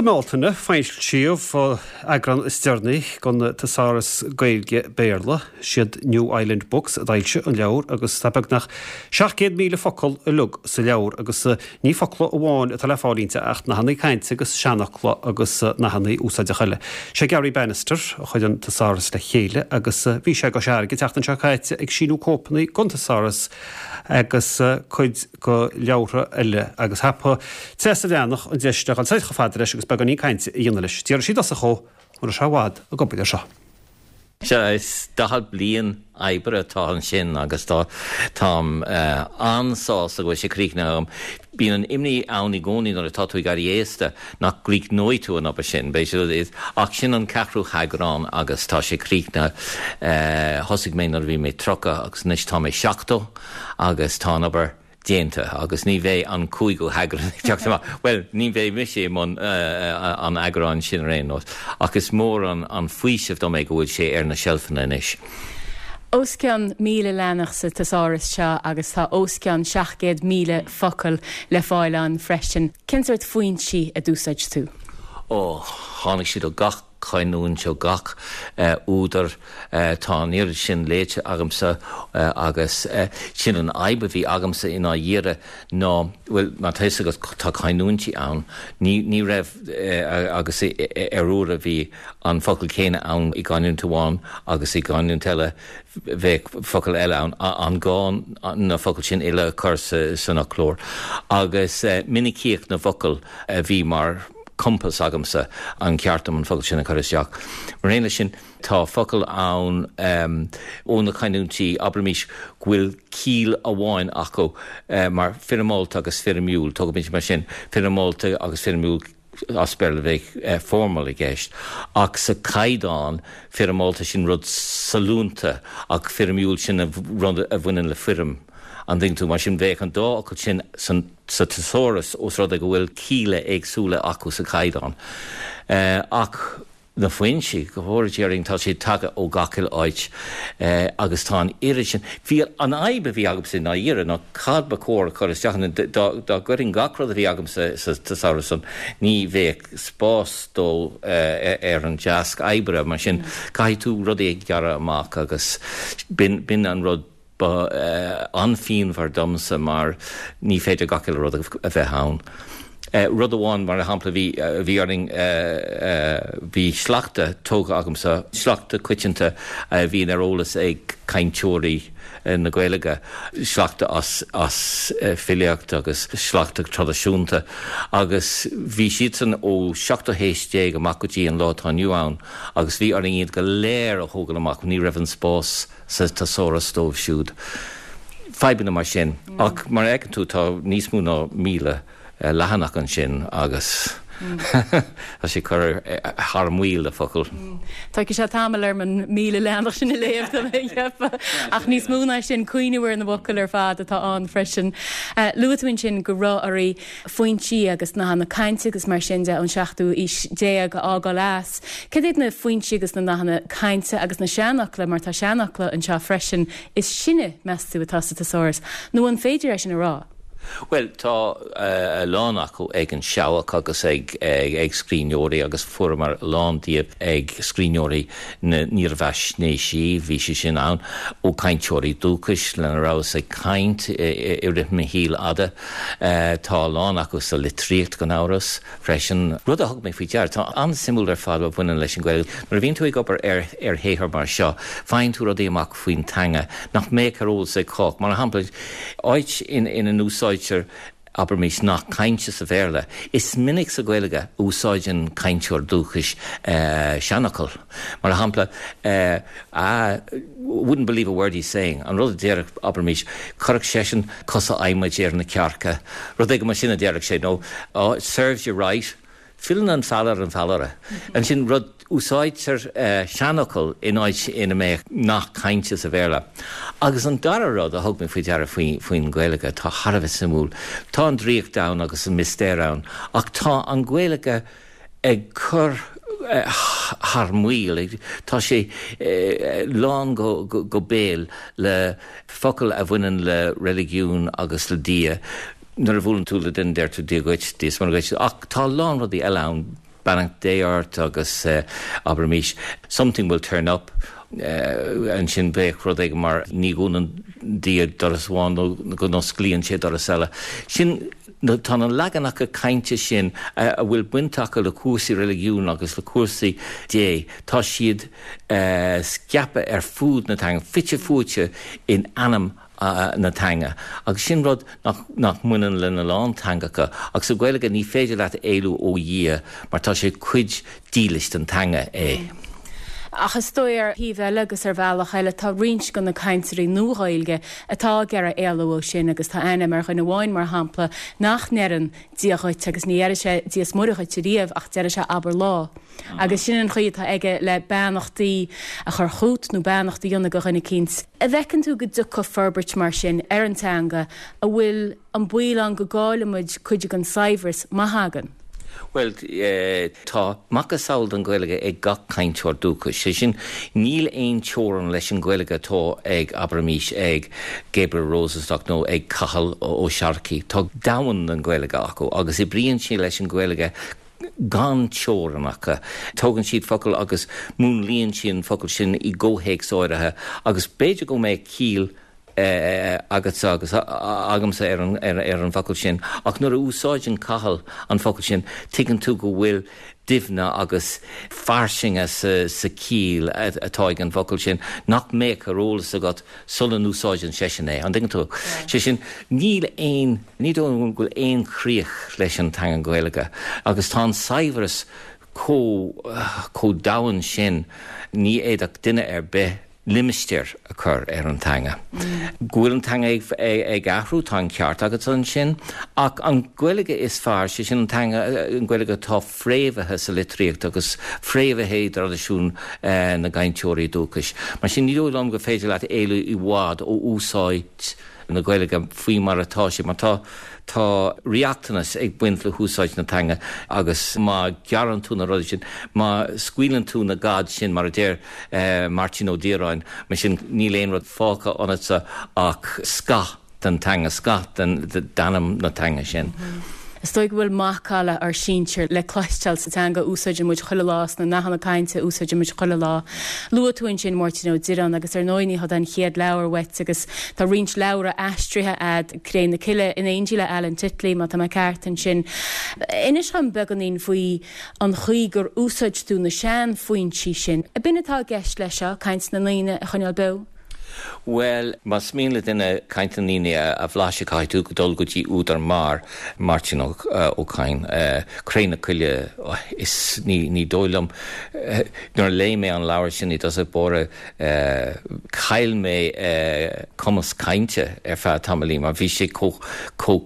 Sa mBealtaine, foilsíodh eagrán is deireanaí den Thesaurus Gaeilge-Béarla. Siad New Island Books a d'fhoilsigh an leabhar agus tá beagnach 700,000 focal uilig sa leabhar agus ní focla amháin atá le fáil inti ach nathanna cainte agus seanfhocla agus nathanna úsáideacha eile. Sé Garry Bannister a chuir an Thesaurus le chéile agus bhí sé i gCois Fharraige an tseachtain seo caite ag síniú cóipeanna den Thesaurus agus cuid de leabhartha eile agus thapaigh Treasa Bhreathnach an deis le dhul soir chomh fada leis agus beagáinín cainte a dhéanamh leis. D'fhiafraigh sí i dtosach dhó an raibh sé i bhfad ag obair air seo. Sea, is 40 bliain oibre atá ansin agus tá, táim an-sásta go bhfuil sé críochnaithe agam. Bíonn an imní ann i gcónaí nuair atá tú ag éirí aosta nach gcríochnóidh tú an obair sin, b'fhéidir, ach sin an ceathrú heagrán agus tá sé críochnaithe. Thosaigh mé nuair a bhí mé 30 agus anois tá mé 70. agus tá an obair déanta agus ní bheidh an cúigiú heagrán ag teacht amach. Bhuel, ní bheidh mise i mbun an eagráin sin ar aon nós, ach is mór an faoiseamh dom é go bhfuil sé ar na seilfeanna anois. Os cionn 1,000 leathanach sa teasáras seo agus tá os cionn 700,000 focal le fáil ann freisin. Cén sórt foinsí a d'úsáid tú? Ó, tháinig siad ó gach canúint, ó gach údar. Tá an oiread sin léite agamsa agus sin an fhadhb a bhí agamsa i ndáiríre ná, bhuel, mar tá fhios agat, tá canúintí ann, ní, ní raibh, agus ar uaire bhí an focal céanna ann i gcanúint amháin agus i gcanúint eile bheadh focal eile ann. An gá na focail sin uile a chur san fhoclóir? Agus minicíocht na bhfocal a bhí mar compás agamsa, an ceart dom an focal sin a chur isteach. Mar aon leis sin, tá focail ann ó na canúintí, abraimis, go bhfuil ciall amháin acu, mar foirmeálta agus foirmiúil, tógaimis mar sin, foirmeálta agus foirmiúil, as Béarla bheadh formal i gceist, ach sa chaighdeán, foirmeálta sin rud sollúnta ach foirmiúil sin rud a bhaineann le foirm. An dtuigeann tú? Mar sin, bheadh an dá fhocal sin san sa teasáras ós rud é go bhfuil cialla éagsúla acu sa chaighdeán. Ach na foinsí, go bhfóire Dia orainn, tá siad tagtha ó gach uile áit agus tá an oiread sin. Bhí an fhadhb a bhí agamsa i ndáiríre ná cad ba chóir a chur isteach ann. Dá gcuirfinn gach rud a bhí agamsa sa teasáras san, ní bheadh spás dó ar an deasc oibre. Mar sin, caithfidh tú rudaí a ghearradh amach agus b'in an rud Ba an-phianmhar domsa mar ní féidir gach uile rud a bheith ann. Rud amháin, mar shampla, bhí, bhí orainn, bhí sleachta tógtha agamsa, sleachta coitianta a bhíonn ar eolas ag cainteoirí na Gaeilge, sleachta as, as filíocht agus sleachta traidisiúnta agus bhí siadsan ó seachtú haois déag amach go dtí an lá atá inniu ann agus bhí orainn iad go léir a thógáil amach, ní raibh an spás. sa teasáras dóibh siúd. Fadhbanna mar sin. Ach mar a fheiceann tú tá níos mó ná 1,000 leathanach ansin agus tá sé ag cur thar maoil le focail. Tógfaidh sé tamall orm an 1,000 leathanach sin a léamh, tá mé ag ceapadh. Ach níos mó ná sin, cuimhniú ar na focail ar fad atá ann freisin. Luaigh tú ansin go raibh oraibh foinsí agus nathanna cainte agus mar sin de ón seachtú aois déag a fhágáil as. Cad iad na foinsí agus na nathanna cainte agus na seanfhocla, mar tá seanfhocla anseo freisin, is sine, meas tú, atá sa teasáras? Nó an féidir é sin a rá? Bhuel, tá a lán acu ag an Seabhac agus ag scríbhneoirí agus fuaireamar a lán díobh ag scríbhneoirí na ndírbheathaisnéisí, bhí sé sin ann, ó cainteoirí dúchais lena rabhas ag caint i rith mo shaoil fhada. Tá a lán acu sa litríocht, gan amhras, freisin. Rud a thug mé faoi deara, atá an-suimiúil ar fad a bhaineann leis an Ghaeilge, nuair a bhíonn tú ag obair ar shaothar mar seo, faigheann tú rudaí amach faoin teanga nach mbeadh ar eolas ag cách. Mar shampla, áit ina n-úsáidtear, abraimis, nath cainte sa Bhéarla, is minic sa Ghaeilge a úsáideann cainteoir dúchais seanfhocal. Mar shampla, I wouldn't believe a word he's saying, an rud a déarfadh, abraimis, chuirfeadh seisean cosa adhmaid ar na cearca, rud éigin mar sin a déarfadh sé, nó oh, it serves you right, filleann an feall ar an bhfeallaire. Ansin rud, úsáidtear seanfhocal in áit ina mbeadh nath cainte sa Bhéarla. Agus an dara rud a thug mé faoi deara faoin Ghaeilge atá thar a bheith suimiúil, tá an draíocht ann agus an mistéir ann, ach tá an Ghaeilge, ag cur thar maoil. Tá sé lán go béal le focail a bhaineann le reiligiún agus le Dia. Nuair a bhuaileann tú le duine deir tú Dia dhuit, Dia is Muire dhuit, ach tá a lán rudaí eile ann. Beannacht Dé ort agus abraimis something will turn up ansin bheadh rud éigin mar ní dhúnann Dia doras amháin nó go n-osclaíonn sé doras eile. Sin, tá na leaganacha cainte sin a bhfuil baint acu le cúrsaí reiligiúin agus le cúrsaí Dé, tá siad scaipthe ar fud na teanga, fite fuaite in anam na teanga. Agus sin rud nach nach mbaineann lena lán teangacha. Ach sa Ghaeilge ní féidir leat éalú ó Dhia mar tá sé cuid dílis den teanga é. Ach is dóigh ar thaobh eile agus ar bhealach eile tá roinnt de na cainteoirí Nua-Ghaeilge atá ag iarraidh éalú ó sin agus tá aithne agam ar dhuine amháin mar shampla nach ndeireann Dia dhuit agus ní deireadh sé Dia is Muire dhuit ariamh ach deireadh sé abair lá. Agus sin an chaoi atá aige le beannachtaí a chur chút nó beannacht a dhéanamh do dhuine eicínt. An bhfeiceann tú go dtiocfaidh forbairt mar sin ar an teanga an bhfuil an baol ann go gcaillfidh muid cuid den saibhreas má thagann? Bhuel, tá macasamhail den Ghaeilge ag gach cainteoir dúchais. Sé sin, níl aon teorainn leis an Ghaeilge atá ag, abraimis, ag Gabriel Rosenstock nó ag Cathal Ó Searcaigh. Tá domhan den Ghaeilge acu agus oibríonn siad leis an Ghaeilge gan teorainneacha. Tógann siad focal agus múnlaíonn siad an focal sin i gcomhthéacs áirithe agus b'fhéidir go mbeadh ciall agatsa agus agamsa ar an bhfocal sin ach nuair a úsáideann Cathal an focal sin tuigeann tú go bhfuil doimhne agus fairsinge sa chiall atá ag an bhfocal sin nach mbeadh ar eolas agat sula n-úsáideann seisean é. An dtuigeann tú? Sé sin, níl aon, ní dóigh liom go bhfuil aon chríoch leis an teanga Ghaeilge agus tá an saibhreas chomh, chomh domhain sin, ní fhéadfadh duine ar bith limistéar a chur ar an teanga. Go bhfuil an teanga ag athrú, tá an ceart agat ansin, ach an Ghaeilge is fearr, sé sin an teanga, an Ghaeilge atá fréamhaithe sa litríocht agus fréamhaithe i dtraidisiún na gcainteoirí dúchais. Mar sin, ní dóigh liom gur féidir leat éalú i bhfad ó úsáid na Gaeilge faoi mar atá sé, mar tá tá riachtanas ag baint le húsáid na teanga agus má ghearrann tú na rudaí sin, má scaoileann tú na gad sin, mar a deir Máirtín Ó Direáin, mar sin níl aon rud fágtha ionatsa ach scáth. den teanga, scáth d'anam na teanga sin. Is dóigh go bhfuil macalla ár sinsir le cloisteáil sa teanga a úsáideann muid chuile lá, sna nathanna cainte a úsáideann muid chuile lá. Luaigh tú ansin Máirtín Ó Direáin agus ar ndóigh ní hé an chéad leabhar uait agus tá roinnt leabhra aistrithe a'd, Cré na Cille in éindí le Alan Titley má tá mé ceart ansin. Inis dhom beagáinín faoi an chaoi gur úsáid tú na sean-fhoinsí sin. Ab in atá i gceist leis seo, caint na ndaoine a choinneáil beo? Bhuel, más mian le duine caint na ndaoine a bhlaiseadh, caithfidh tú dul go dtí údar mar Máirtín Ó Cadhain. Cré na Cille, is ní dóigh liom, nuair a léigh mé an leabhar sin i dtosach báire, chaill mé cumas cainte ar feadh tamaillín mar bhí sé chomh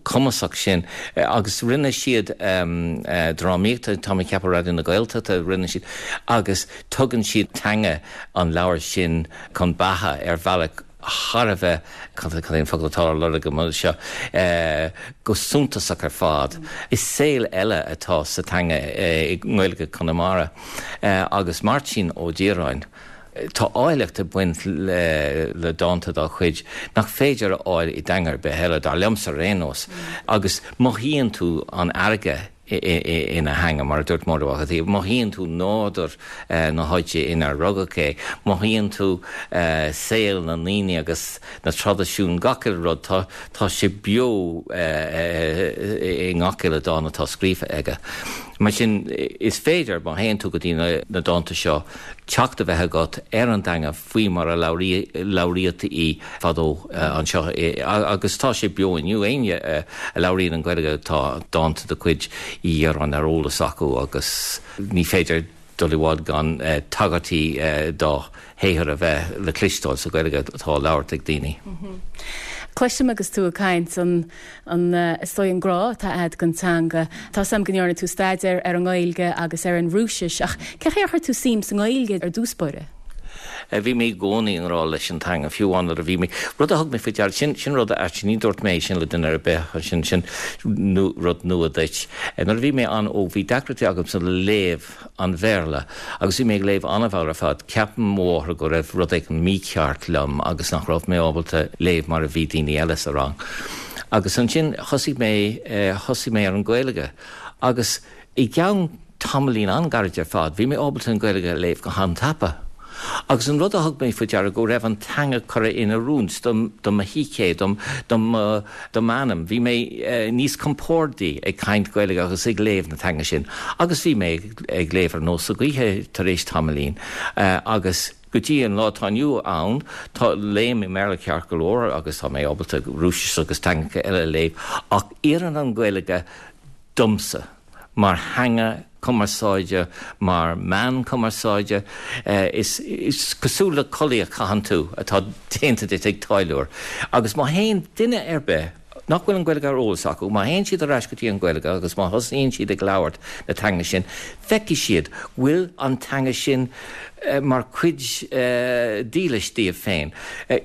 cumasach sin. Agus rinne siad drámaíocht, tá mé ag ceapadh Raidió na Gaeltachta, rinne siad, agus tugann siad teanga an leabhair sin chun beatha ar bhealach thar a bheith, cad é an focal atá á lorg agam anseo, go suntasach ar fad. Is saol eile atá sa teanga i nGaeilge Chonamara agus Máirtín Ó Direáin, tá áilleacht ag baint le dánta dá chuid nach féidir a fháil i dteanga ar bith eile, dar liomsa ar aon nós, agus mothaíonn tú an fharraige ina theanga, mar a dúirt Máire Mhac an tSaoi, mothaíonn tú nádúr na háite inar rugadh é, mothaíonn tú saol na ndaoine agus na traidisiúin, gach uile rud, tá, tá sé beo i ngach uile dán atá scríofa aige. Mar sin, is féidir, má théann tú go dtí na dánta seo, teacht a bheith agat ar an dteanga faoi mar a labhraíodh í fadó anseo agus tá sé beo inniu. Éinne a labhraíonn an Ghaeilge tá dánta de chuid Uí Dhireáin ar eolas acu agus ní féidir dul i bhfad gan tagairtí dá shaothar a bheith le cloisteáil sa Ghaeilge atá á labhairt ag daoine. Cloisim agus tú ag caint an, an, is dóigh an grá atá a'd don teanga. Tá 's a'm go ndearna tú staidéar ar an nGaeilge agus ar an Rúisis ach cén chaoi ar chuir tú suim sa nGaeilge ar dtús báire? Bhí mé i gcónaí i ngrá leis an teanga, fiú amháin nuair a bhí mé, rud a thug mé faoi deara, sin, sin rud a, actually ní dúirt mé é sin le duine ar bith, sin, sin rud nua duit. Nuair a bhí mé an-óg bhí deacrachtaí agamsa le léamh an Bhéarla agus bhí mé ag léamh an-mhall ar fad. Cheap mo mháthair go raibh rud éigin mícheart liom agus nach raibh mé ábalta léamh mar a bhí daoine eile sa rang. Agus ansin thosaigh mé, thosaigh mé ar an Ghaeilge agus i gceann. tamaillín an-ghairid ar fad, bhí mé ábalta an Ghaeilge a léamh go han-tapa. Agus an rud a thug mé faoi deara go raibh an teanga curtha in oiriúint do mo shícé, do m'anam. Bhí mé níos compórdaí ag caint Gaeilge agus ag léamh na teanga sin. Agus bhí mé ag léamh ar nós na gaoithe tar éis tamaillín. Agus go dtí an lá atá inniu ann, tá, léim i mBéarla ceart go leor agus tá mé ábalta Rúisis agus teangacha eile a léamh, ach oireann an Ghaeilge domsa. mar theanga cumarsáide, mar mheán cumarsáide. Is cosúil le culaith a chaitheann tú atá déanta duit ag táilliúir. Agus má théann duine ar bith nach bhfuil an Ghaeilge ar eolas acu, má théann siad ar ais go dtí an Ghaeilge agus má thosaíonn siad ag labhairt na teanga sin, feicfidh siad go bhfuil an teanga sin mar chuid dílis díobh féin.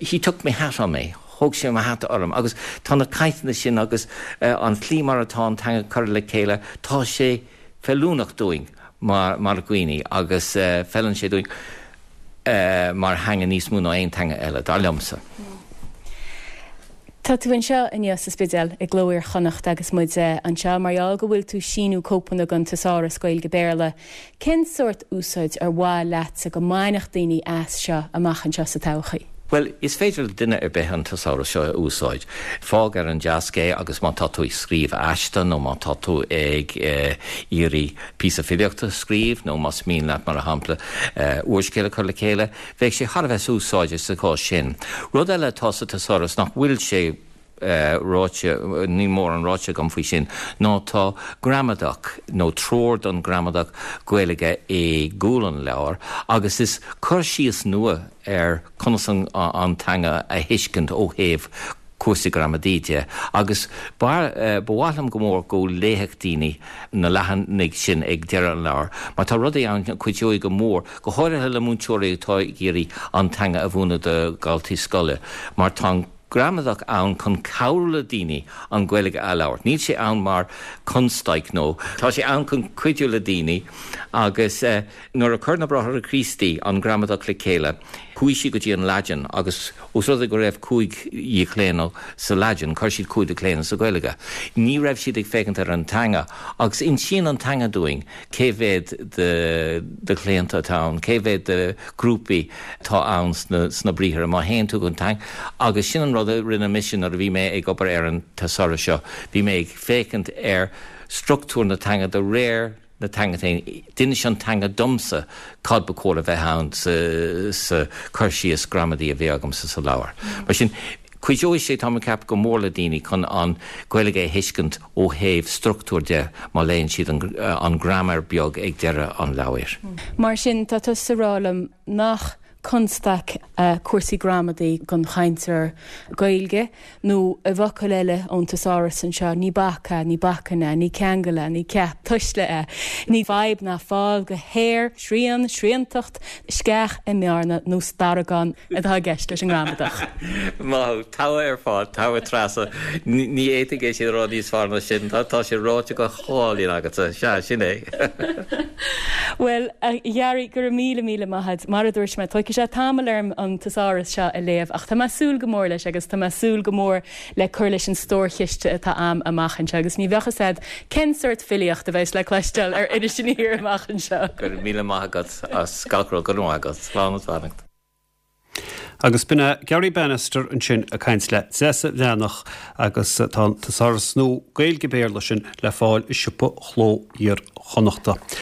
He took me hat on me. Thóg sé mo hata orm. Agus tá na cainteanna sin agus an tslí mar atá an teanga curtha le chéile, tá sé feiliúnach dúinn mar dhaoine agus feileann sé dúinn mar theanga níos mó ná aon teanga eile, dar liomsa. Tá tú anseo inniu sa Spidéal i gCló Iar-Chonnacht agus muid anseo mar gheall go bhfuil tú síniú cóipeanna den Teasáras Gaeilge-Béarla. Cén sórt úsáid ar mhaith leatsa go mbainfeadh daoine as seo amach anseo sa todhchaí? Bhuel, is féidir le duine ar bith an teasáras seo a úsáid. Fág ar an deasc é agus má tá tú ag scríobh aiste nó má tá tú ag iarraidh píosa filíochta a scríobh nó más mian leat, mar shampla, úrscéal a chur le chéile, bheadh sé thar a bheith úsáideach sa chás sin. Rud eile atá sa teasáras nach bhfuil sé ráite, níl mórán ráite agam faoi sin, ná tá gramadach, nó treoir don ghramadach Gaeilge i gcúl an leabhair agus is cur síos nua ar conas an teanga a thuiscint ó thaobh cúrsaí gramadaí de agus ba mhaith liom go mór go léifeadh daoine na leathanaigh sin ag deireadh an leabhair mar tá rudaí ann a chuideoidh go mór, go háirithe le múinteoirí atá ag iarraidh an teanga a mhúineadh do dhaltaí scoile mar tá an gramadach ann chun cabhrú le daoine an Ghaeilge a labhairt. Níl sé ann mar constaic nó tá sé ann chun cuidiú le daoine agus nuair a chuir na Bráithre Críostaí an gramadach le chéile chuaigh siad go dtí an Laidin agus os rud é go raibh cúig dhíochlaonadh sa Laidin chuir siad cúig dhíochlaonadh sa Ghaeilge. Ní raibh siad ag féachaint ar an teanga agus insíonn an teanga dúinn cé mhéad de chlaonta atá ann, cé mhéad de ghrúpaí atá ann sna briathra, má théann tú go teanga, agus sin an rud a rinne mise nuair a bhí mé ag obair ar an teasáras seo, bhí mé ag féachaint ar struchtúr na teanga de réir na teanga féin, d'inis an teanga domsa cad ba chóir a bheith ann sa chur síos gramadaí a bhí agamsa sa leabhar. Mar sin, Cuideoidh sé, táim ag ceapadh, go mór le daoine chun an Ghaeilge a thuiscint ó thaobh struchtúir de má léann siad an graiméar beag ag deireadh an leabhair. Mar sin, tá tusa ag rá liom nach constaic cúrsaí gramadaí don chainteoir Gaeilge, nó i bhfocail eile ón teasáras anseo, ní bac é, ní bacainn é, ní ceangal é, ní ceap tuisle é, ní fadhb ná fál go haer, srian, sriantacht, sceach i mbearna nó starragán. atá i gceist leis an ngramadach. Maith thú. Togha ar fad. Togha Treasa. Ní fhéadfainn é sin a rá níos fearr ná sin. Tá sé ráite go hálainn agatsa. Sea, sin é. Bhuel, a Ghearaí, go raibh míle, míle maith agat. Mar a dúirt mé, tógfaidh sé tamall orm an teasáras seo a léamh ach tá mé ag súil go mór leis agus tá mé ag súil go mór le cur leis an stórchiste atá a'm amach anseo agus ní bheadh fhios a'd cén sórt filíocht a bheas le cloisteáil ar Iris Aniar amach anseo. Go raibh míle maith agat as gach rud. Go raibh maith agat. Slán is beannacht. Agus b'in é Garry Bannister ansin ag caint le Treasa Bhreathnach agus tá an teasáras nua Gaeilge-Béarla sin le fáil i siopa Chló Iar-Chonnachta.